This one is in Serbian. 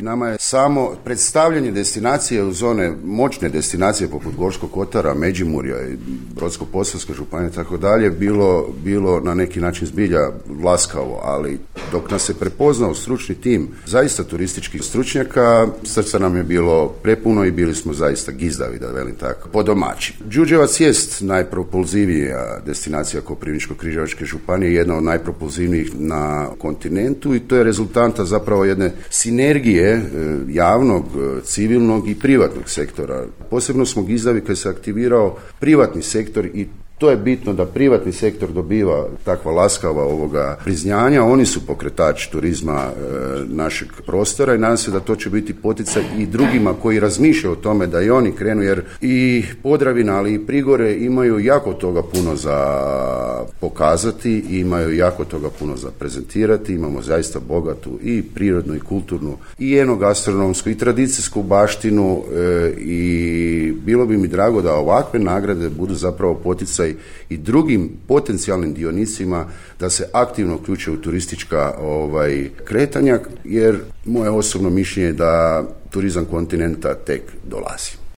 Nama je samo predstavljanje destinacije u zone, moćne destinacije poput Gorskog kotara, Međimurja i Brodsko-posavske županije i tako dalje, bilo na neki način zbilja laskavo, ali dok nas se prepoznao stručni tim zaista turističkih stručnjaka, srca nam je bilo prepuno i bili smo zaista gizdavi, da velim tako, po domaći. Đurđevac jest najpropulzivija destinacija Koprivničko-križevačke županije, jedna od najpropulzivnijih na kontinentu i to je rezultanta zapravo jedne sinergije javnog, civilnog i privatnog sektora. Posebno smo gizdavi kad se aktivirao privatni sektor i to je bitno da privatni sektor dobiva takva laskava priznanja. Oni su pokretač turizma našeg prostora i nadam se da to će biti poticaj i drugima koji razmišljaju o tome da i oni krenu, jer i Podravina, ali i Prigore imaju jako toga puno za pokazati i imaju jako toga puno za prezentirati. Imamo zaista bogatu i prirodnu i kulturnu i enogastronomsku i tradicijsku baštinu i bilo bi mi drago da ovakve nagrade budu zapravo poticaj i drugim potencijalnim dionicima da se aktivno uključe u turistička kretanja, jer moje osobno mišljenje je da turizam kontinenta tek dolazi.